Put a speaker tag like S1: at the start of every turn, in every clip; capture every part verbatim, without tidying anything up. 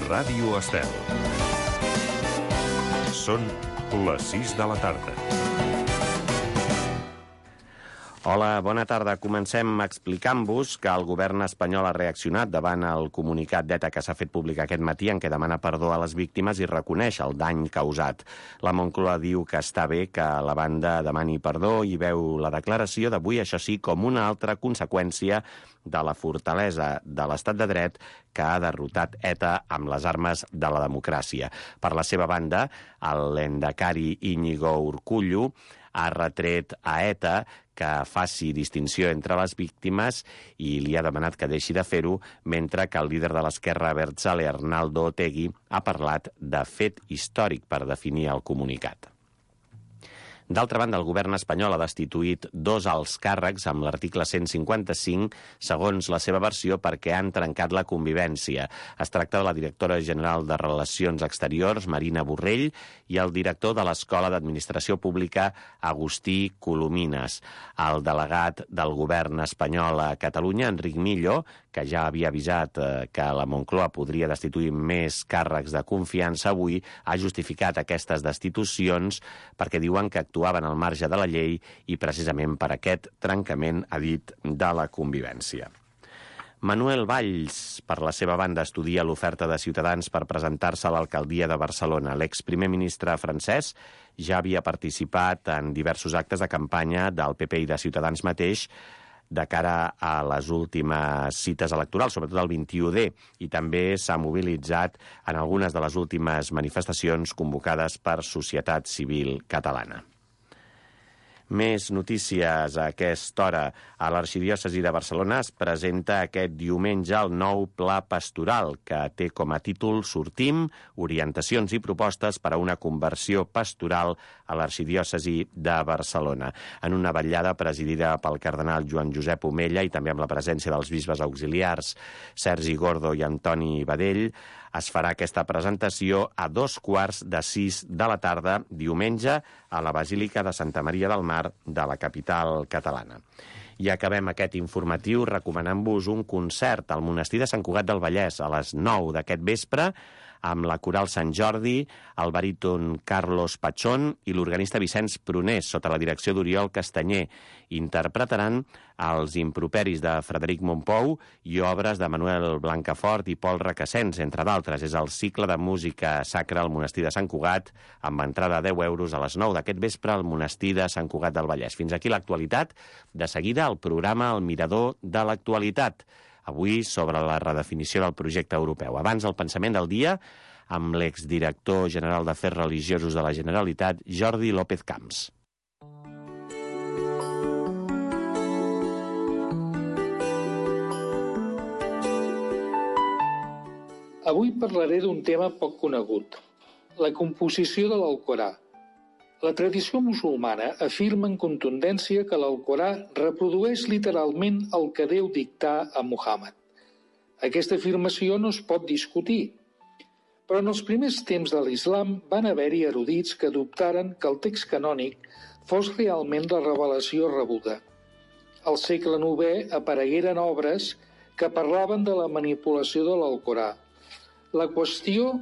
S1: Ràdio Estel. Són les sis de la tarda.
S2: Hola, bona tarda. Comencem explicant-vos que el govern espanyol ha reaccionat davant el comunicat d'ETA que s'ha fet públic aquest matí en què demana perdó a les víctimes i reconeix el dany causat. La Moncloa diu que està bé que la banda demani perdó i veu la declaració d'avui, això sí, com una altra conseqüència de la fortalesa de l'estat de dret que ha derrotat ETA amb les armes de la democràcia. Per la seva banda, el lehendakari Íñigo Urkullu ha retret a ETA que faci distinció entre les víctimes i li ha demanat que deixi de fer-ho, mentre que el líder de l'esquerra abertzale, Arnaldo Otegi, ha parlat de fet històric per definir el comunicat. D'altra banda, el govern espanyol ha destituït dos alts càrrecs amb l'article cent cinquanta-cinc, segons la seva versió, perquè han trencat la convivència. Es tracta de la directora general de Relacions Exteriors, Marina Borrell, i el director de l'Escola d'Administració Pública, Agustí Colomines. El delegat del govern espanyol a Catalunya, Enric Millo, que ja havia avisat eh, que la Moncloa podria destituir més càrrecs de confiança, avui ha justificat aquestes destitucions perquè diuen que actuaven al marge de la llei i precisament per aquest trencament, ha dit, de la convivència. Manuel Valls, per la seva banda, estudia l'oferta de Ciutadans per presentar-se a l'alcaldia de Barcelona. L'exprimer ministre francès ja havia participat en diversos actes de campanya del P P i de Ciutadans mateix de cara a les últimes cites electorals, sobretot el vint-i-u de, i també s'ha mobilitzat en algunes de les últimes manifestacions convocades per Societat Civil Catalana. Més notícies a aquesta hora. A l'Arxidiòcesi de Barcelona es presenta aquest diumenge el nou Pla Pastoral, que té com a títol Sortim, orientacions i propostes per a una conversió pastoral a l'Arxidiòcesi de Barcelona. En una vetllada presidida pel cardenal Joan Josep Omella i també amb la presència dels bisbes auxiliars Sergi Gordo i Antoni Badell, es farà aquesta presentació a dos quarts de sis de la tarda, diumenge, a la Basílica de Santa Maria del Mar de la capital catalana. I acabem aquest informatiu recomanant-vos un concert al Monestir de Sant Cugat del Vallès a les nou d'aquest vespre, amb la Coral Sant Jordi, el baríton Carlos Pachón i l'organista Vicenç Prunés, sota la direcció d'Oriol Castanyer. Interpretaran els improperis de Frederic Mompou i obres de Manuel Blancafort i Pol Requesens, entre d'altres. És el cicle de música sacra al Monestir de Sant Cugat, amb entrada de deu euros a les nou d'aquest vespre al Monestir de Sant Cugat del Vallès. Fins aquí l'actualitat. De seguida, el programa El Mirador de l'Actualitat. Avui sobre la redefinició del projecte europeu. Abans, el pensament del dia amb l'exdirector general d'Afers Religiosos de la Generalitat, Jordi López Camps.
S3: Avui parlaré d'un tema poc conegut, la composició de l'Alcorà. La tradició musulmana afirma en contundència que l'Alcorà reprodueix literalment el que Déu dictà a Muhammad. Aquesta afirmació no es pot discutir, però en els primers temps de l'islam van haver-hi erudits que dubtaren que el text canònic fos realment la revelació rebuda. Al segle novè aparegueren obres que parlaven de la manipulació de l'Alcorà. La qüestió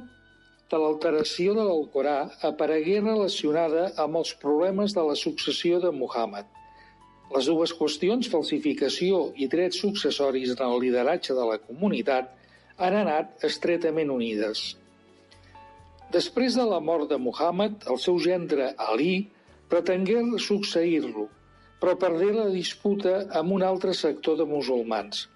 S3: de l'alteració de l'Alcorà aparegué relacionada amb els problemes de la successió de Muhammad. Les dues qüestions, falsificació i drets successoris en el lideratge de la comunitat, han anat estretament unides. Després de la mort de Muhammad, el seu gendre Ali pretengué succeir-lo, però perdé la disputa amb un altre sector de musulmans.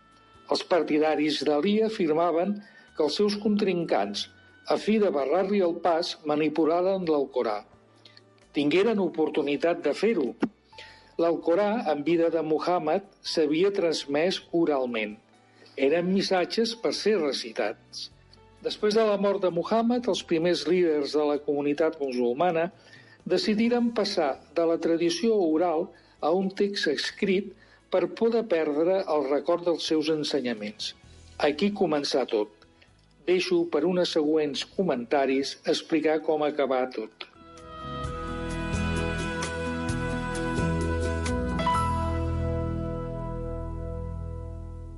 S3: Els partidaris d'Ali afirmaven que els seus contrincants, a fi de barrar-li el pas, manipularen l'Alcorà. Tingueren oportunitat de fer-ho. L'Alcorà, en vida de Muhammad, s'havia transmès oralment. Eren missatges per ser recitats. Després de la mort de Muhammad, els primers líders de la comunitat musulmana decidiren passar de la tradició oral a un text escrit per poder perdre el record dels seus ensenyaments. Aquí començà tot. Deixo per uns següents comentaris explicar com acabar tot.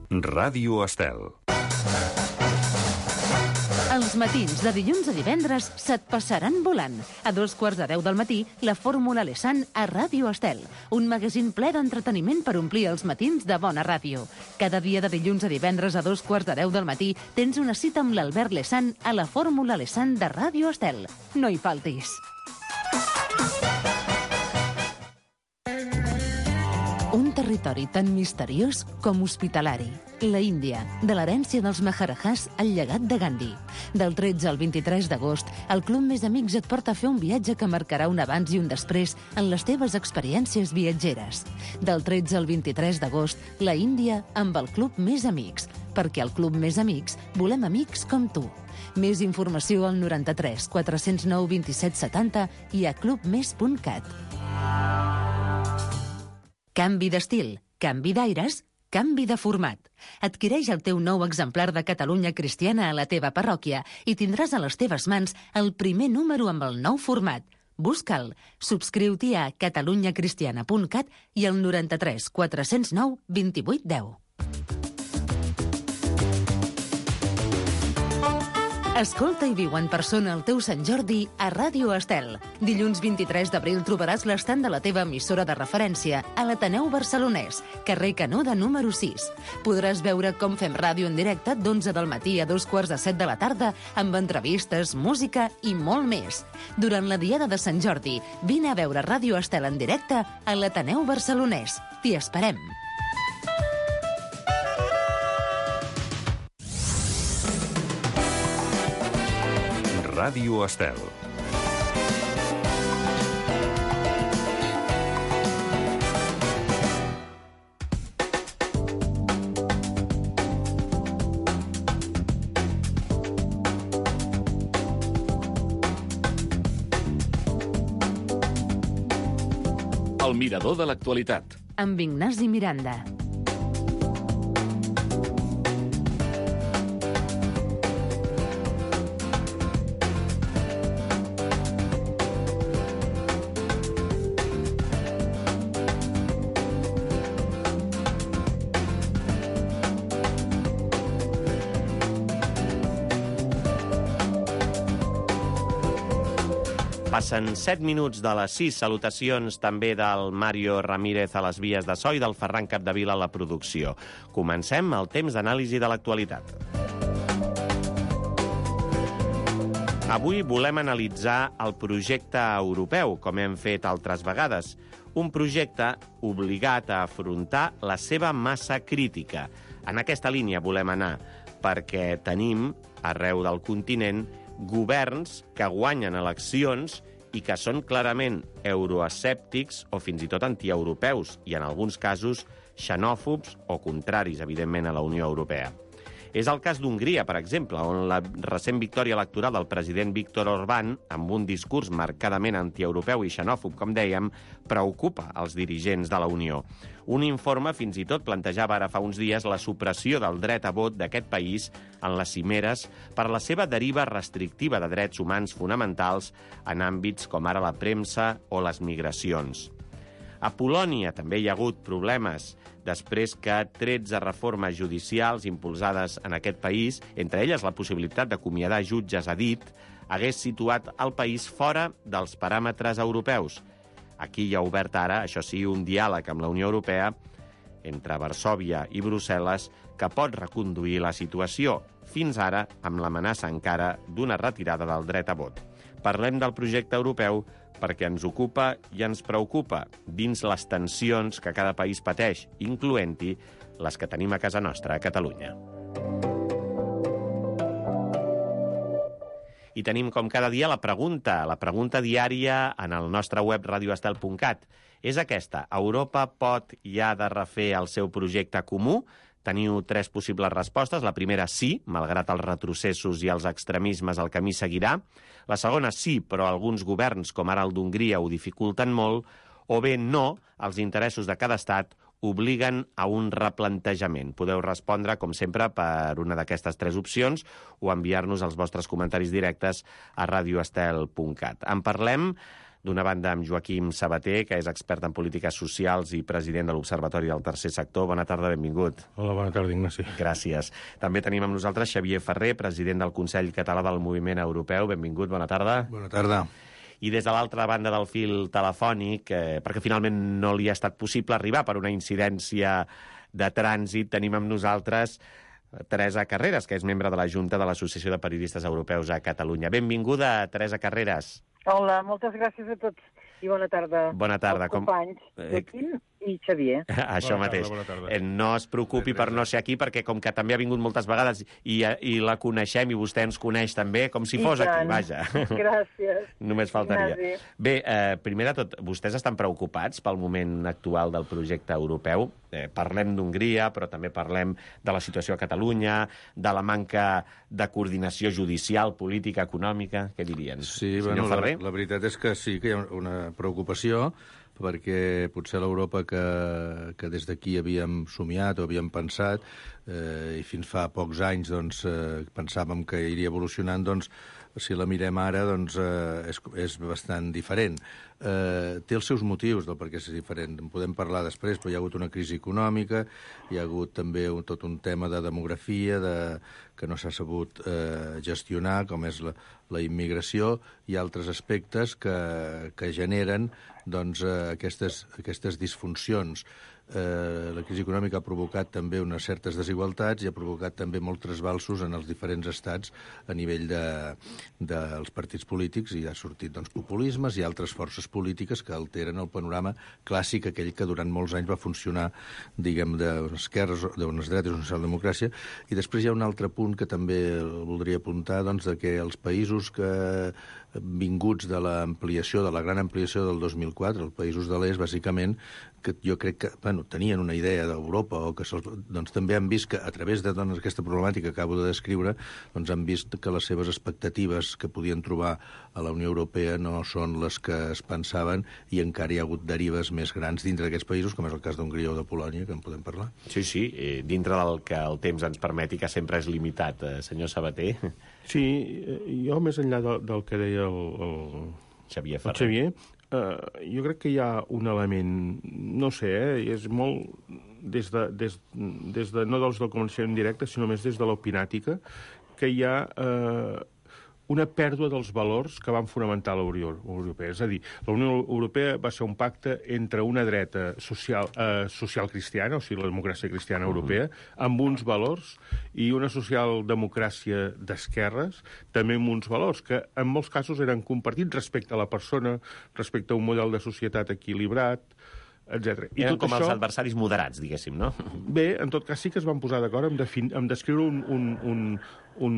S1: Ràdio Estel.
S4: El Els matins de dilluns a divendres se't passaran volant. A dos quarts de deu del matí, la Fórmula Lesan a Ràdio Estel. Un magazín ple d'entreteniment per omplir els matins de bona ràdio. Cada dia de dilluns a divendres a dos quarts de deu del matí tens una cita amb l'Albert Lesan a la Fórmula Lesan de Ràdio Estel. No hi faltis. Un territori tan misteriós com hospitalari. La Índia, de l'herència dels Maharajahs al llegat de Gandhi. Del tretze al vint-i-tres d'agost, el Club Més Amics et porta a fer un viatge que marcarà un abans i un després en les teves experiències viatgeres. Del tretze al vint-i-tres d'agost, la Índia amb el Club Més Amics. Perquè al Club Més Amics volem amics com tu. Més informació al noranta-tres quatre-cents nou vint-i-set setanta i a clubmes punt cat. Canvi d'estil, canvi d'aires, canvi de format. Adquireix el teu nou exemplar de Catalunya Cristiana a la teva parròquia i tindràs a les teves mans el primer número amb el nou format. Busca'l. Subscriu-t'hi a catalunya cristiana punt cat i al noranta-tres quatre-cents nou vint-i-vuit deu. Escolta i viu en persona el teu Sant Jordi a Ràdio Estel. Dilluns vint-i-tres d'abril trobaràs l'estand de la teva emissora de referència a l'Ateneu Barcelonès, carrer Canuda número sis. Podràs veure com fem ràdio en directe d'onze del matí a dos quarts de set de la tarda amb entrevistes, música i molt més. Durant la Diada de Sant Jordi, vine a veure Ràdio Estel en directe a l'Ateneu Barcelonès. T'hi esperem.
S1: Ràdio Estel.
S5: El mirador de l'actualitat.
S4: Amb Ignasi Miranda.
S2: Passen set minuts de les sis. Salutacions també del Mario Ramírez a les vies de so i del Ferran Capdevila a la producció. Comencem el temps d'anàlisi de l'actualitat. Avui volem analitzar el projecte europeu, com hem fet altres vegades. Un projecte obligat a afrontar la seva massa crítica. En aquesta línia volem anar, perquè tenim, arreu del continent, governs que guanyen eleccions i que són clarament euroescèptics o fins i tot antieuropeus i, en alguns casos, xenòfobs o contraris, evidentment, a la Unió Europea. És el cas d'Hongria, per exemple, on la recent victòria electoral del president Viktor Orbán, amb un discurs marcadament antieuropeu i xenòfob, com dèiem, preocupa els dirigents de la Unió. Un informe fins i tot plantejava ara fa uns dies la supressió del dret a vot d'aquest país en les cimeres per la seva deriva restrictiva de drets humans fonamentals en àmbits com ara la premsa o les migracions. A Polònia també hi ha hagut problemes després que tretze reformes judicials impulsades en aquest país, entre elles la possibilitat d'acomiadar jutges a dit, hagués situat el país fora dels paràmetres europeus. Aquí hi ha obert ara, això sí, un diàleg amb la Unió Europea entre Varsòvia i Brussel·les que pot reconduir la situació, fins ara amb l'amenaça encara d'una retirada del dret a vot. Parlem del projecte europeu perquè ens ocupa i ens preocupa dins les tensions que cada país pateix, incloent-hi les que tenim a casa nostra, a Catalunya. I tenim, com cada dia, la pregunta, la pregunta diària en el nostre web radioestel punt cat. És aquesta: Europa pot i ha de refer el seu projecte comú? Teniu tres possibles respostes. La primera, sí, malgrat els retrocessos i els extremismes, el camí seguirà. La segona, sí, però alguns governs, com ara el d'Hongria, ho dificulten molt. O bé, no, els interessos de cada estat obliguen a un replantejament. Podeu respondre, com sempre, per una d'aquestes tres opcions o enviar-nos els vostres comentaris directes a radioestel punt cat. En parlem D'una banda, amb Joaquim Sabater, que és expert en polítiques socials i president de l'Observatori del Tercer Sector. Bona tarda, benvingut.
S6: Hola, bona tarda, Ignasi.
S2: Gràcies. També tenim amb nosaltres Xavier Ferrer, president del Consell Català del Moviment Europeu. Benvingut, bona tarda.
S6: Bona tarda.
S2: I des de l'altra banda del fil telefònic, eh, perquè finalment no li ha estat possible arribar per una incidència de trànsit, tenim amb nosaltres Teresa Carreras, que és membre de la Junta de l'Associació de Periodistes Europeus a Catalunya. Benvinguda, Teresa Carreras.
S7: Hola, moltes gràcies a tots i bona tarda.
S2: Bona tarda.
S7: Als companys, Joaquim i Xavier.
S2: Això
S6: bona
S2: mateix.
S6: Tarda, bona tarda.
S2: Eh, no es preocupi per no ser aquí, perquè com que també ha vingut moltes vegades i, i la coneixem i vostè ens coneix també, com si
S7: I
S2: fos
S7: tant.
S2: aquí, vaja.
S7: Gràcies.
S2: Només faltaria.
S7: Ignasi.
S2: Bé, eh, primer de tot, vostès estan preocupats pel moment actual del projecte europeu. Eh, parlem d'Hongria, però també parlem de la situació a Catalunya, de la manca de coordinació judicial, política, econòmica. Què dirien?
S6: Sí,
S2: Senyor
S6: bueno, la,
S2: Ferrer?
S6: la veritat és que sí que hi ha una preocupació, perquè potser l'Europa que, que des d'aquí havíem somiat o havíem pensat, eh, i fins fa pocs anys doncs, eh, pensàvem que iria evolucionant, doncs, si la mirem ara, doncs, eh, és, és bastant diferent. Eh, té els seus motius del per què és diferent. En podem parlar després, però hi ha hagut una crisi econòmica, hi ha hagut també un, tot un tema de demografia de, que no s'ha sabut eh, gestionar, com és la, la immigració, i altres aspectes que, que generen doncs, eh, aquestes, aquestes disfuncions. Eh, la crisi econòmica ha provocat també unes certes desigualtats i ha provocat també molts trasbalsos en els diferents estats a nivell de, dels partits polítics, i ha sortit doncs, populismes i altres forces polítiques que alteren el panorama clàssic, aquell que durant molts anys va funcionar, diguem, d'unes esquerres, d'unes dretes, d'una socialdemocràcia. I després hi ha un altre punt que també el voldria apuntar, doncs, de que els països que vinguts de l'ampliació, de la gran ampliació del dos mil quatre, els països de l'est, bàsicament, que jo crec que bueno, tenien una idea d'Europa, o que doncs, també han vist que a través de doncs, aquesta problemàtica que acabo de descriure, doncs, han vist que les seves expectatives que podien trobar a la Unió Europea no són les que es pensaven, i encara hi ha hagut derives més grans dintre d'aquests països, com és el cas d'Hongria o de Polònia, que en podem parlar.
S2: Sí, sí, eh, dintre del que el temps ens permeti, que sempre és limitat, eh, senyor Sabater.
S6: Sí, jo més enllà del, del que deia el, el,
S2: Xavier
S6: el
S2: Ferrer.
S6: Xavier, eh, jo crec que hi ha un element, no sé, eh, és molt des de, des, des de, no dels del coneixement directe, sinó més des de l'opinàtica, que hi ha eh, una pèrdua dels valors que van fonamentar la Unió Europea. És a dir, la Unió Europea va ser un pacte entre una dreta social, eh, social cristiana, o sigui, la democràcia cristiana europea, amb uns valors, i una socialdemocràcia d'esquerres, també amb uns valors que en molts casos eren compartits respecte a la persona, respecte a un model de societat equilibrat, etcètera. I
S2: Eren
S6: tot
S2: com
S6: això,
S2: els adversaris moderats, diguéssim, no?
S6: bé, en tot cas sí que es van posar d'acord en, defin, en descriure un, un, un, un,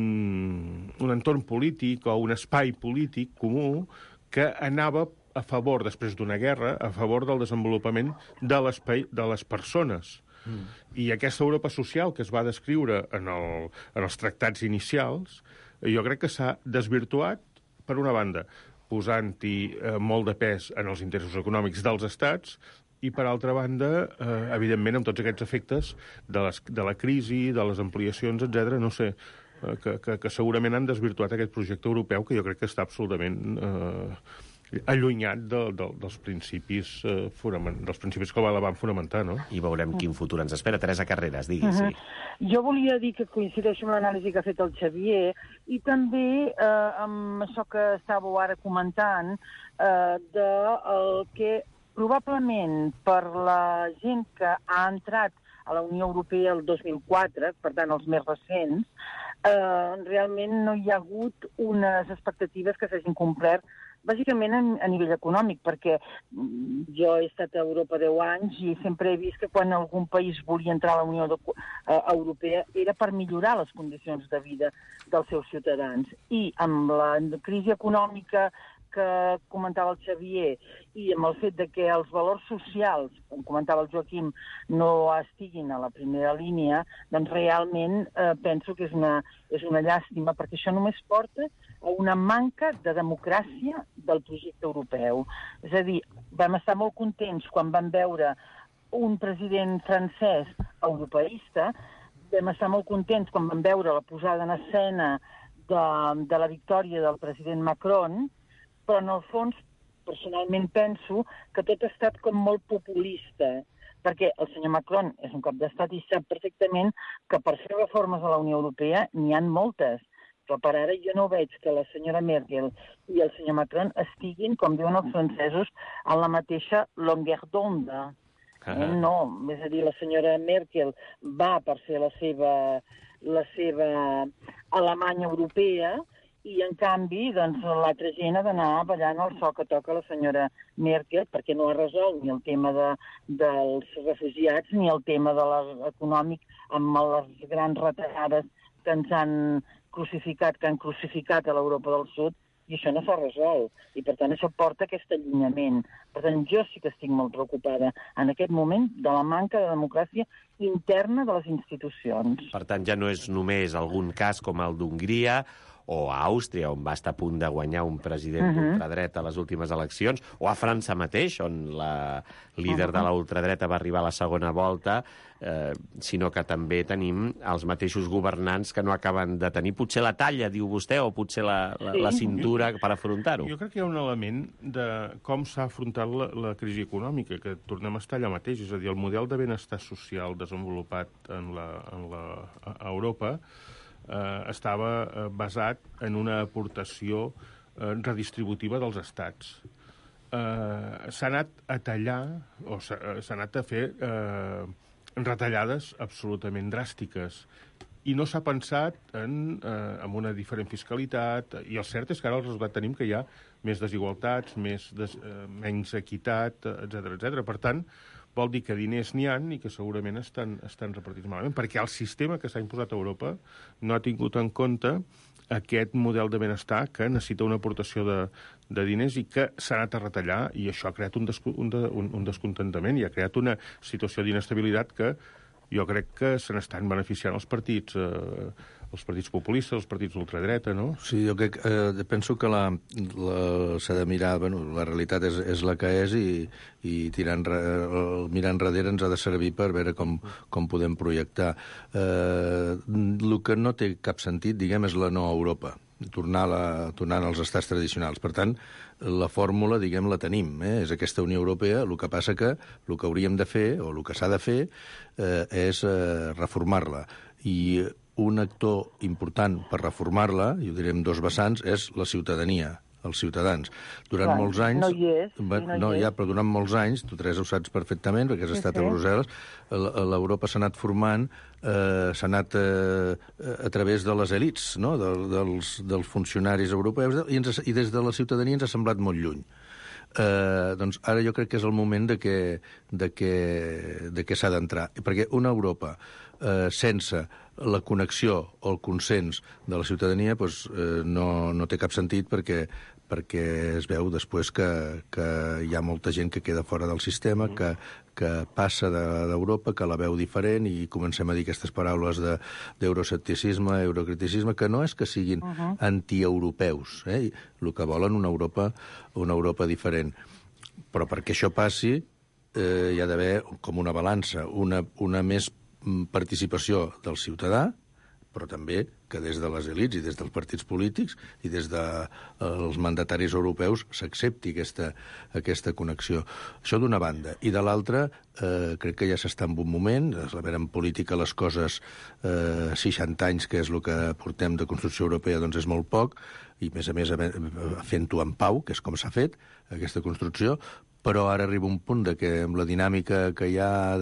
S6: un entorn polític o un espai polític comú que anava a favor, després d'una guerra, a favor del desenvolupament de, de les persones. Mm. I aquesta Europa social que es va descriure en, el, en els tractats inicials, jo crec que s'ha desvirtuat, per una banda, posant-hi eh, molt de pes en els interessos econòmics dels estats, i, per altra banda, eh, evidentment, amb tots aquests efectes de, les, de la crisi, de les ampliacions, etcètera, no sé, eh, que, que, que segurament han desvirtuat aquest projecte europeu, que jo crec que està absolutament eh, allunyat de, de, dels principis eh, fonament, dels principis que la van fonamentar, no?
S2: I veurem quin futur ens espera. Teresa Carreras, digui, uh -huh. sí.
S7: Jo volia dir que coincideixo amb l'anàlisi que ha fet el Xavier, i també eh, amb això que estàveu ara comentant, eh, de el que probablement per la gent que ha entrat a la Unió Europea el dos mil quatre, per tant els més recents, eh, realment no hi ha hagut unes expectatives que s'hagin complert bàsicament a, a nivell econòmic, perquè jo he estat a Europa deu anys i sempre he vist que quan algun país volia entrar a la Unió de, uh, Europea era per millorar les condicions de vida dels seus ciutadans. I amb la crisi econòmica que comentava el Xavier i amb el fet de que els valors socials, com comentava el Joaquim, no estiguin a la primera línia, doncs realment eh, penso que és una, és una llàstima, perquè això només porta a una manca de democràcia del projecte europeu. És a dir, vam estar molt contents quan vam veure un president francès europeista, vam estar molt contents quan vam veure la posada en escena de, de la victòria del president Macron, però en el fons personalment penso que tot ha estat com molt populista, perquè el senyor Macron és un cap d'estat i sap perfectament que per fer reformes a la Unió Europea n'hi han moltes, però per ara jo no veig que la senyora Merkel i el senyor Macron estiguin, com diuen els francesos, a la mateixa longueur d'onda. Eh? No, és a dir, la senyora Merkel va per fer la seva, la seva Alemanya europea i, en canvi, doncs, l'altra gent ha d'anar ballant el so que toca la senyora Merkel perquè no ha resolt ni el tema de, dels refugiats ni el tema de l'econòmic amb les grans retallades que ens han crucificat, que han crucificat a l'Europa del Sud, i això no s'ha resolt. I, per tant, això porta aquest allunyament. Per tant, jo sí que estic molt preocupada en aquest moment de la manca de democràcia interna de les institucions.
S2: Per tant, ja no és només algun cas com el d'Hongria o a Àustria, on va estar a punt de guanyar un president uh-huh. d'ultradreta a les últimes eleccions, o a França mateix, on la líder uh-huh. de la ultradreta va arribar a la segona volta, eh, sinó que també tenim els mateixos governants que no acaben de tenir potser la talla, diu vostè, o potser la, la, la cintura per afrontar-ho.
S8: Jo crec que hi ha un element de com s'ha afrontat la, la crisi econòmica, que tornem a estar allà mateix, és a dir, el model de benestar social desenvolupat en la, en la, a Europa Eh, estava eh, basat en una aportació eh, redistributiva dels estats. Eh, s'ha anat a tallar, o s'ha, s'ha anat a fer eh, retallades absolutament dràstiques, i no s'ha pensat en, eh, en una diferent fiscalitat, i el cert és que ara el resultat tenim que hi ha més desigualtats, més des, eh, menys equitat, etcètera, etcètera. Per tant, vol dir que diners n'hi ha i que segurament estan, estan repartits malament, perquè el sistema que s'ha imposat a Europa no ha tingut en compte aquest model de benestar que necessita una aportació de, de diners i que s'ha anat a retallar, i això ha creat un, desco, un, de, un, un descontentament i ha creat una situació d'inestabilitat que jo crec que se n'estan beneficiant els partits, eh, els partits populistes, els partits d'ultradreta, no?
S6: Sí, jo crec, eh, penso que la, la, s'ha de mirar, bueno, la realitat és, és la que és i, i tirant, el mirar enrere ens ha de servir per veure com, com podem projectar. Eh, el que no té cap sentit, diguem, és la no Europa, tornar, la, tornar als estats tradicionals. Per tant, la fórmula, diguem, la tenim, eh? És aquesta Unió Europea, el que passa que el que hauríem de fer, o el que s'ha de fer, eh, és eh, reformar-la. I un actor important per reformar-la, i ho direm dos vessants, és la ciutadania, els ciutadans. Durant
S7: Clar,
S6: molts anys...
S7: No hi és.
S6: Va, no, no hi ja, però durant molts anys, tu, Teresa, ho saps perfectament, perquè has sí, estat sí. a Brussel·les, l'Europa s'ha anat formant, eh, s'ha anat eh, a través de les elits, no? de, dels, dels funcionaris europeus, i, ens, i des de la ciutadania ens ha semblat molt lluny. Eh, doncs ara jo crec que és el moment de que, de que, de que s'ha d'entrar. Perquè una Europa eh, sense la connexió o el consens de la ciutadania doncs, eh, no, no té cap sentit perquè, perquè es veu després que, que hi ha molta gent que queda fora del sistema, que, que passa d'Europa, que la veu diferent i comencem a dir aquestes paraules de, d'euroscepticisme, eurocriticisme, que no és que siguin uh -huh. antieuropeus, eh? El que volen una Europa, una Europa diferent. Però perquè això passi eh, hi ha d'haver com una balança, una, una més participació del ciutadà, però també que des de les elits i des dels partits polítics i des dels de, mandataris europeus s'accepti aquesta, aquesta connexió. Això d'una banda. I de l'altra, eh, crec que ja s'està en un moment, a veure, en política les coses, eh, seixanta anys, que és el que portem de construcció europea, doncs és molt poc, i a més a més fent-ho en pau, que és com s'ha fet, aquesta construcció, però ara arriba un punt de que amb la dinàmica que hi ha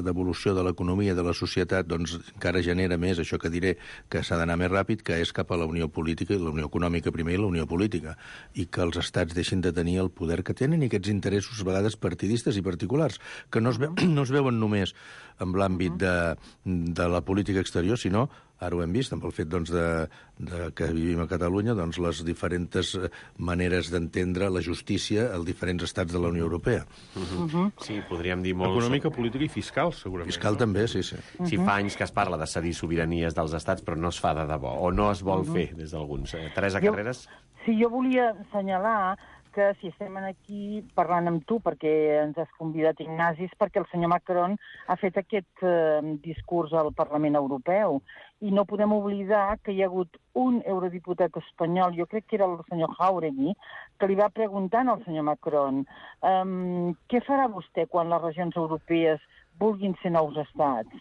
S6: d'evolució de, de l'economia, de la societat, doncs encara genera més això que diré, que s'ha d'anar més ràpid, que és cap a la unió política, la unió econòmica primer i la unió política, i que els estats deixin de tenir el poder que tenen i aquests interessos a vegades partidistes i particulars, que no es, ve, no es veuen només en l'àmbit de, de la política exterior, sinó, ara ho hem vist, amb el fet doncs, de, de que vivim a Catalunya, doncs, les diferents maneres d'entendre la justícia als diferents estats de la Unió Europea.
S2: Uh-huh. Uh-huh. Sí, podríem dir molt...
S8: Econòmica, política i fiscal, segurament.
S6: Fiscal no? també, sí, sí.
S2: Uh-huh. Sí, fa anys que es parla de cedir sobiranies dels estats, però no es fa de debò, o no es vol uh-huh. fer des d'alguns. Teresa Carreras?
S7: Jo, sí, jo volia assenyalar que si estem aquí parlant amb tu, perquè ens has convidat, Ignasi, perquè el senyor Macron ha fet aquest eh, discurs al Parlament Europeu. I no podem oblidar que hi ha hagut un eurodiputat espanyol, jo crec que era el senyor Jáuregui, que li va preguntant al senyor Macron um, què farà vostè quan les regions europees vulguin ser nous estats?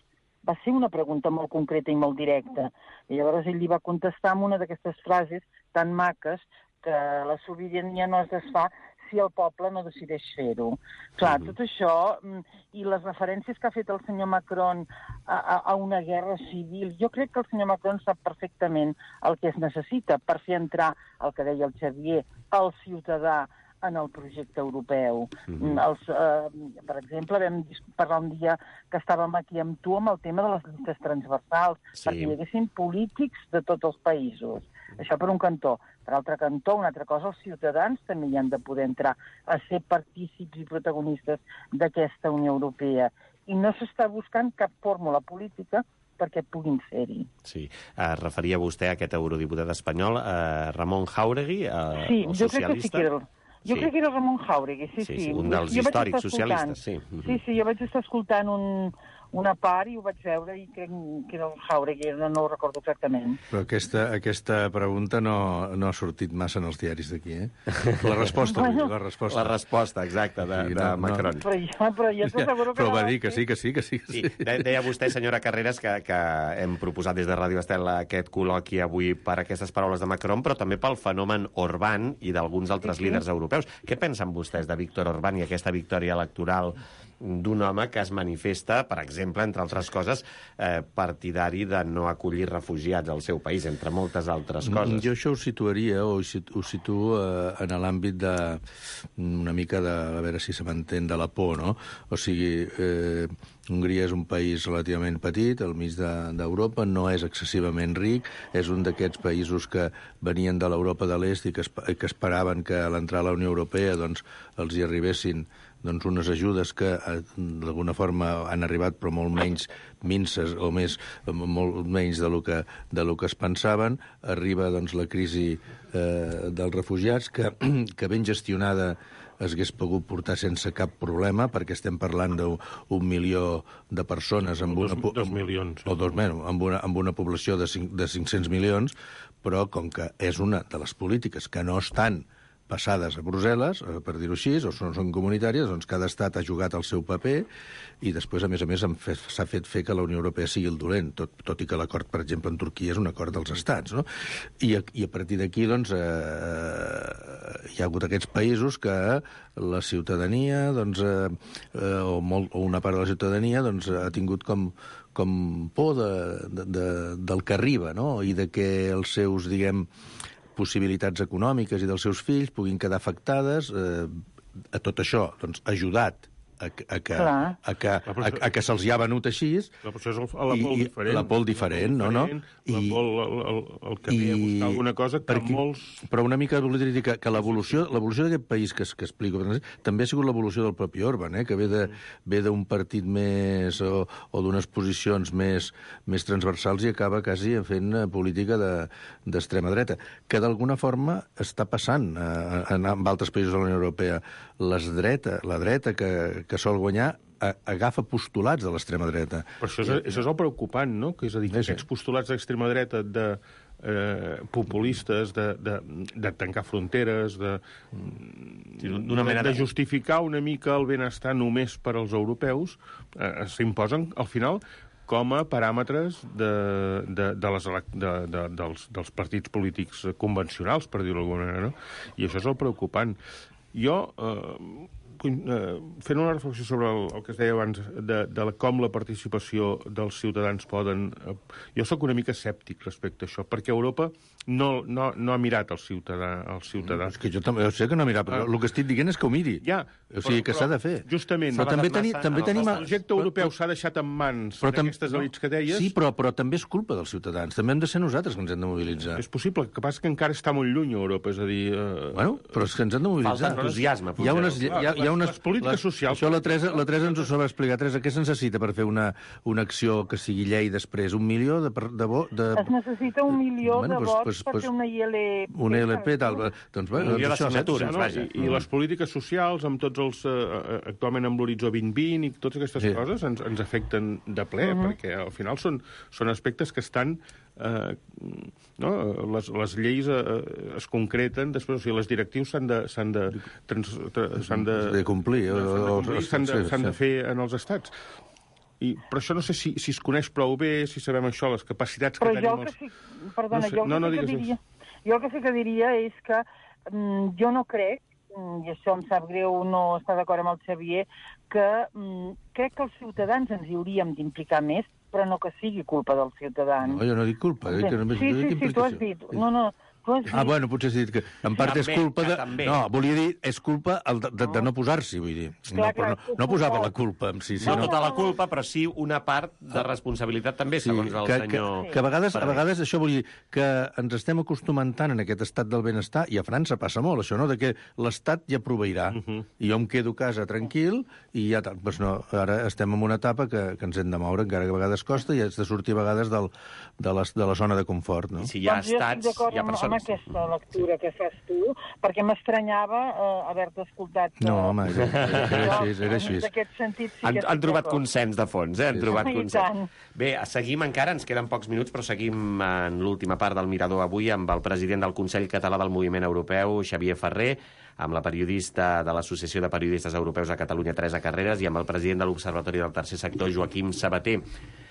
S7: Va ser una pregunta molt concreta i molt directa. I llavors ell li va contestar amb una d'aquestes frases tan maques que la sobirania no es desfà si el poble no decideix fer-ho. Clar, tot això i les referències que ha fet el senyor Macron a, a, a una guerra civil, jo crec que el senyor Macron sap perfectament el que es necessita per fer entrar, el que deia el Xavier, el ciutadà en el projecte europeu. Mm-hmm. Els, eh, per exemple, vam parlar un dia que estàvem aquí amb tu amb el tema de les llistes transversals, sí. perquè hi haguessin polítics de tots els països. Això per un cantó. Per altre cantó, una altra cosa, els ciutadans també hi han de poder entrar a ser partícips i protagonistes d'aquesta Unió Europea. I no s'està buscant cap fórmula política perquè puguin ser-hi.
S2: Sí. Es referia vostè a aquest eurodiputat espanyol, eh, Ramon Jáuregui, eh,
S7: sí,
S2: el
S7: jo
S2: socialista?
S7: Crec que sí que era... Jo sí. crec que era Ramon Jáuregui, sí, sí.
S2: sí, sí un dels jo històrics socialistes, sí.
S7: Sí, sí, jo vaig estar escoltant un, una part i ho vaig veure i crec que era el Jáuregui, no, no ho recordo exactament.
S6: Però aquesta, aquesta pregunta no, no ha sortit massa en els diaris d'aquí, eh? La resposta, bueno, la resposta.
S2: La resposta, exacta, de, sí, no, de Macron.
S7: No. Però jo, però jo t'asseguro que
S6: però
S7: no
S6: va dir que sí, que sí, que sí. Que sí.
S2: sí. Deia vostè, senyora Carreras, que, que hem proposat des de Ràdio Estel aquest col·loqui avui per aquestes paraules de Macron, però també pel fenomen Orbán i d'alguns altres sí, sí. líders europeus. Què pensen vostès de Víctor Orbán i aquesta victòria electoral d'un home que es manifesta, per exemple, entre altres coses, eh, partidari de no acollir refugiats al seu país, entre moltes altres coses?
S6: Jo això ho situaria, o ho situo eh, en l'àmbit de una mica de, a veure si se m'entén, de la por, no? O sigui, eh, Hongria és un país relativament petit, al mig d'Europa, no és excessivament ric, és un d'aquests països que venien de l'Europa de l'Est i que, que esperaven que a l'entrar a la Unió Europea doncs, els hi arribessin doncs, unes ajudes que d'alguna forma han arribat però molt menys minces o més, molt menys de lo que, de lo que es pensaven. Arriba doncs, la crisi eh, dels refugiats que, que ben gestionada es hagués pogut portar sense cap problema, perquè estem parlant d'un milió de persones amb una,
S8: dos, dos milions.
S6: O dos, bueno, amb, una, amb una població de, cinc, de cinc-cents milions, però com que és una de les polítiques que no estan passades a Brussel·les, per dir-ho així, o són, són comunitàries, doncs cada estat ha jugat el seu paper i després, a més a més, s'ha fet fer que la Unió Europea sigui el dolent, tot, tot i que l'acord, per exemple, en Turquia és un acord dels estats, no? I a, i a partir d'aquí, doncs, eh, hi ha hagut aquests països que la ciutadania, doncs, eh, o, molt, o una part de la ciutadania, doncs, ha tingut com com por de, de, de, del que arriba, no? I de que els seus, diguem, possibilitats econòmiques i dels seus fills puguin quedar afectades, eh, a tot això, doncs, ajudat a, a que, a que, a, a que se'ls hi ha venut així.
S8: La por és la por diferent.
S6: La por diferent, no? no?
S8: La por, el, el, el que ve a buscar alguna cosa que perquè, molts...
S6: Però una mica volia dir que, que l'evolució d'aquest país que, que explico també ha sigut l'evolució del propi Orbán, eh? Que ve d'un partit més o, o d'unes posicions més, més transversals i acaba quasi fent política d'extrema de, dreta, que d'alguna forma està passant eh, en, en altres països de la Unió Europea. Les dreta, la dreta que, que sol guanyar agafa postulats de l'extrema dreta.
S8: Però això és, això és el preocupant, no? Que és a dir, que aquests postulats d'extrema dreta de eh, populistes, de, de, de tancar fronteres, de, d'una manera de justificar una mica el benestar només per als europeus, eh, s'imposen, al final, com a paràmetres de, de, de les, de, de, dels, dels partits polítics convencionals, per dir-ho d'alguna manera, no? I això és el preocupant. Jo, eh, fent una reflexió sobre el, el que es deia abans de, de com la participació dels ciutadans poden... Eh, jo sóc una mica escèptic respecte a això, perquè Europa no, no, no ha mirat el ciutadà. El ciutadà.
S6: És que jo també jo sé que no ha mirat, però ah. el que estic dient és que ho miri.
S8: Ja,
S6: o sigui, però, que s'ha de fer.
S8: Justament.
S6: Però també, teni, també tenim...
S8: El projecte europeu s'ha deixat en mans d'aquestes elits que deies.
S6: Sí, però, però també és culpa dels ciutadans. També hem de ser nosaltres que ens hem de mobilitzar.
S8: És possible, el que passa que encara està molt lluny Europa, és a dir... Eh...
S6: Bueno, però és que ens hem de mobilitzar.
S2: Falta entusiasme.
S6: Hi ha unes, hi ha, hi ha unes,
S8: les polítiques
S6: les,
S8: socials...
S6: Això la Teresa, la Teresa ens ho sabrà explicar. Teresa, què se necessita per fer una, una acció que sigui llei després? Un milió de... de, de...
S7: Es necessita un milió
S6: bueno,
S7: de
S6: pues,
S7: vots
S6: pues,
S7: per
S6: pues,
S7: fer una I L P.
S6: Una I L P, tal. Doncs, bé,
S2: Un milió
S6: doncs
S2: de
S6: això,
S2: signatures,
S6: saps?
S2: vaja.
S8: I, I les polítiques socials, amb tots els... Eh, actualment amb l'horitzó vint vint i totes aquestes
S6: Sí.
S8: coses ens, ens afecten de ple, uh -huh. perquè al final són, són aspectes que estan... Eh, no? les, les lleis eh, es concreten després, o sigui, les directius s'han de s'han de, trans, s'han de,
S6: de complir,
S8: s'han de,
S6: o-
S8: complir,
S6: o-
S8: s'han de,
S6: sí,
S8: s'han de
S6: sí.
S8: fer en els estats. I, però això no sé si, si es coneix prou bé, si sabem això, les capacitats
S7: Però
S8: que
S7: jo
S8: tenim...
S7: el
S8: Els...
S7: que sí... Perdona,
S8: No sé,
S7: jo el
S8: no,
S7: que,
S8: no
S7: sí que
S8: digues
S7: diria... Jo el que sí que diria és que mm, jo no crec, mm, i això em sap greu no estar d'acord amb el Xavier, que mm, crec que els ciutadans ens hi hauríem d'implicar més, però no que sigui culpa dels ciutadans.
S6: No, jo no dic culpa. Eh, que només
S7: sí,
S6: dic
S7: sí, sí, tu has
S6: implicació.
S7: dit. No, no, tu has dit...
S6: Ah, bueno, potser has dit que en part
S2: També,
S6: és culpa
S2: que
S6: de...
S2: també.
S6: No, volia dir, és culpa el de, de, de no posar-s'hi, vull dir. No,
S7: Clar,
S6: però
S7: clar,
S6: no, no posava la culpa en si.
S2: No
S6: sinó-
S2: tota la culpa, però sí una part de responsabilitat també, segons el
S6: que,
S2: senyor...
S6: Que, que a vegades, a
S2: Ferrer.
S6: vegades això vol dir que ens estem acostumant tant en aquest estat del benestar, i a França passa molt això, no?, de que l'Estat ja proveirà, uh -huh. i jo em quedo a casa tranquil, i ja tal. Pues no, ara estem en una etapa que, que ens hem de moure, encara que a vegades costa, i has de sortir a vegades del, de, les, de la zona de confort, no?
S2: I si hi ha
S7: doncs jo
S2: estats,
S7: estic d'acord
S2: hi ha
S7: amb, amb
S2: persones...
S7: aquesta lectura que fas tu, perquè m'estranyava eh, haver-te escoltat... Eh,
S6: No, home, era, era així, era així.
S7: En aquest sentit sí
S2: Han,
S7: que
S2: han
S7: estic
S2: trobat
S7: d'acord.
S2: consens de fons, eh? Han trobat
S7: I
S2: consens.
S7: tant.
S2: Bé, seguim encara, ens queden pocs minuts, però seguim en l'última part del Mirador avui amb el president del Consell Català del Moviment Europeu, Xavier Ferrer, amb la periodista de l'Associació de Periodistes Europeus a Catalunya, Teresa Carreras, i amb el president de l'Observatori del Tercer Sector, Joaquim Sabater.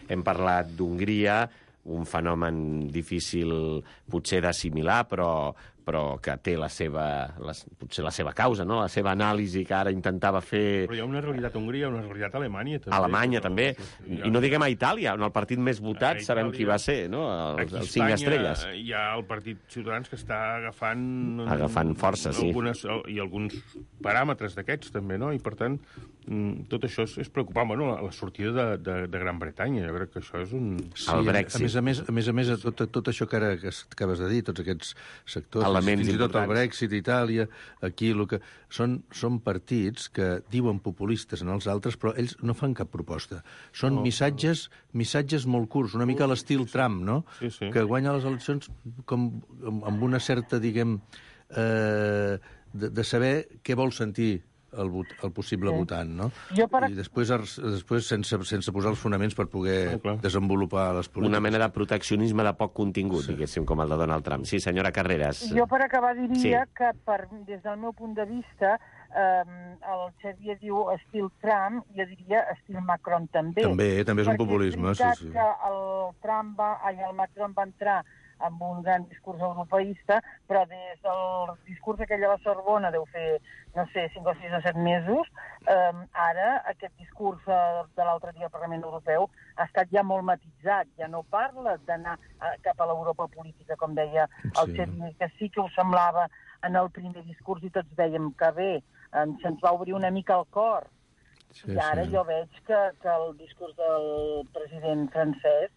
S2: Hem parlat d'Hongria, un fenomen difícil potser d'assimilar, però, però que té la seva, la, potser la seva causa, no? La seva anàlisi que ara intentava fer...
S8: Però hi ha una realitat a Hongria, una realitat a Alemanya, també.
S2: A Alemanya, també. I no diguem a Itàlia, on el partit més votat
S8: A
S2: sabem
S8: Itàlia.
S2: qui va ser, no? Els,
S8: Aquí a
S2: els cinc
S8: Espanya
S2: estrelles.
S8: hi ha el Partit Ciutadans que està agafant...
S2: Agafant força, sí.
S8: Algunes, I alguns paràmetres d'aquests, també, no? I, per tant, mm, tot això és, és preocupant. Bueno, la, la sortida de, de, de Gran Bretanya, jo crec que això és un...
S6: Sí,
S2: El
S6: a
S2: Brexit.
S6: més a més, a més, a més tot, tot això que ara que acabes de dir, tots aquests sectors,
S2: Elements
S6: fins i tot el
S2: importants.
S6: Brexit, Itàlia, aquí, el que... Són, són partits que diuen populistes en els altres, però ells no fan cap proposta. Són no. missatges missatges molt curts, una mica a l'estil Trump, no?
S8: Sí, sí.
S6: Que guanya les eleccions com, amb una certa, diguem, eh, de, de saber què vol sentir el, vot, el possible sí. votant, no?
S7: Jo per...
S6: I després, després sense, sense posar els fonaments per poder
S8: Ah,
S6: desenvolupar les polítiques.
S2: Una mena de proteccionisme de poc contingut, sí. diguéssim, com el de Donald Trump. Sí, senyora Carreras.
S7: Jo per acabar diria
S2: Sí.
S7: que per, des del meu punt de vista eh, el Xavier diu estil Trump, jo diria estil Macron també.
S6: També, també és un
S7: Perquè
S6: populisme,
S7: és
S6: sí,
S7: veritat
S6: sí.
S7: que el Trump va, ai, el Macron va entrar amb un gran discurs europeista, però des del discurs aquell a la Sorbona deu fer, no sé, cinc o sis o set mesos, eh, ara aquest discurs eh, de l'altre dia al Parlament Europeu ha estat ja molt matitzat, ja no parla d'anar eh, cap a l'Europa política, com deia el
S6: Sí.
S7: Xavier, que sí que ho semblava en el primer discurs i tots dèiem que bé, eh, se'ns va obrir una mica el cor.
S6: Sí,
S7: I ara
S6: sí.
S7: jo veig que, que el discurs del president francès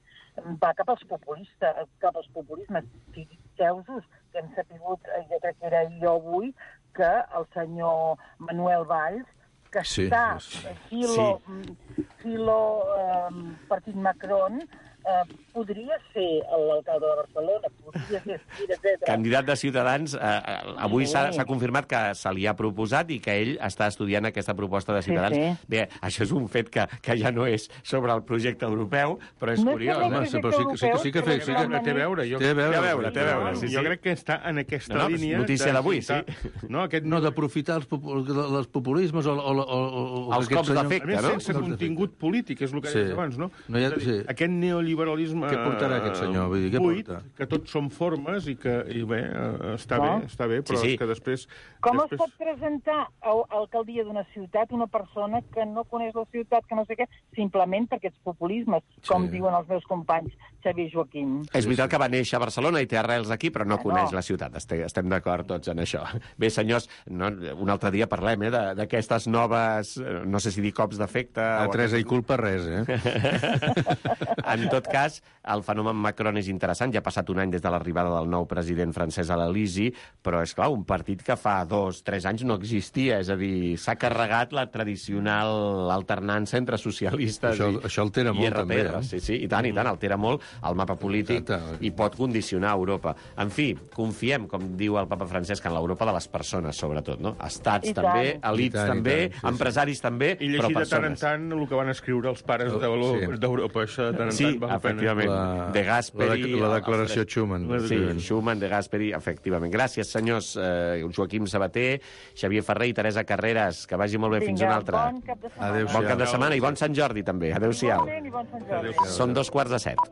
S7: va cap als populistes, cap als populismes. Fixeu-vos que hem sapigut, eh, jo crec que era jo avui, que el senyor Manuel Valls, que
S6: Sí,
S7: està
S6: sí.
S7: filo, filo eh, partit Macron, eh, podria ser l'alcalde de Barcelona, podria ser Espira, etcètera.
S2: Candidat de Ciutadans, eh, eh, avui
S7: Sí.
S2: s'ha s'ha confirmat que se li ha proposat i que ell està estudiant aquesta proposta de Ciutadans.
S7: Sí, sí.
S2: Bé, això és un fet que, que ja no és sobre el projecte europeu, però és
S7: No és
S2: curiós.
S7: sobre el
S2: eh?
S6: Home, sí, però sí, que- sí, que- sí que
S7: europeu,
S6: fe- sí
S7: però
S6: que-
S7: la
S8: Té a veure, jo...
S6: Té a veure,
S2: Té a veure, té a veure, sí, sí.
S8: Jo crec que està en aquesta
S2: No, no,
S8: línia...
S2: notícia d'avui, sí.
S8: No, aquest...
S6: No, d'aprofitar els, popu- els populismes o... o, o, o
S2: Els
S6: aquest
S2: cops
S6: senyor-
S2: d'efecte,
S8: A més,
S2: no?
S8: sense contingut polític, és el que
S6: Sí.
S8: deies abans, no?
S6: No hi ha-
S8: És a dir,
S6: sí.
S8: Aquest neoliberalisme...
S6: Què portarà aquest senyor? Vull dir, què
S8: buit,
S6: porta?
S8: que tots són formes i que, i bé, eh, està
S7: Clar.
S8: bé, està bé, però
S2: Sí, sí.
S8: és que després...
S7: Com
S8: després...
S7: es pot presentar a a alcaldia d'una ciutat una persona que no coneix la ciutat, que no sé què, simplement per aquests populismes, com
S6: Sí.
S7: diuen els meus companys Xavier i Joaquim?
S2: És veritat que va néixer a Barcelona i té arrels aquí, però no
S7: Ah,
S2: coneix
S7: no.
S2: la ciutat. Estem, estem d'acord tots en això. Bé, senyors, no, un altre dia parlem eh, de- d'aquestes noves, eh, no sé si dir cops d'efecte...
S6: A
S2: o
S6: Teresa i culpa res, eh?
S2: En tot cas, el fenomen Macron és interessant. Ja ha passat un any des de l'arribada del nou president francès a l'Elisi, però és clar, un partit que fa dos, tres anys no existia, és a dir, s'ha carregat la tradicional alternança entre socialistes
S6: això,
S2: i,
S6: això altera
S2: i
S6: molt,
S2: R P.
S6: també, eh?
S2: Sí, sí, i tant, i tant, altera molt el mapa polític. Exacte. I pot condicionar Europa. En fi, confiem, com diu el papa Francesc, en l'Europa de les persones, sobretot, no? Estats
S7: I
S2: també,
S7: tant.
S2: elits
S6: tant,
S2: també,
S6: tant, sí,
S2: empresaris
S6: sí.
S2: també,
S8: I
S2: però
S8: llegir de tant en
S2: persones.
S8: tant el que van escriure els pares d'Europa, sí. Això de tant en
S2: Sí,
S8: tant val la pena.
S2: efectivament.
S6: La,
S2: de Gasperi...
S6: La, de, la declaració Schuman.
S2: Sí, Schuman, de Gasperi, efectivament. Gràcies, senyors eh, Joaquim Sabater, Xavier Ferrer i Teresa Carreras. Que vagi molt bé.
S7: Vinga,
S2: fins una altra.
S7: Bon cap de setmana.
S6: Adéu-siau.
S2: Bon cap de setmana i bon Sant Jordi, també. Adéu-siau.
S7: Bon, bon Sant Jordi.
S2: Són dos quarts de set.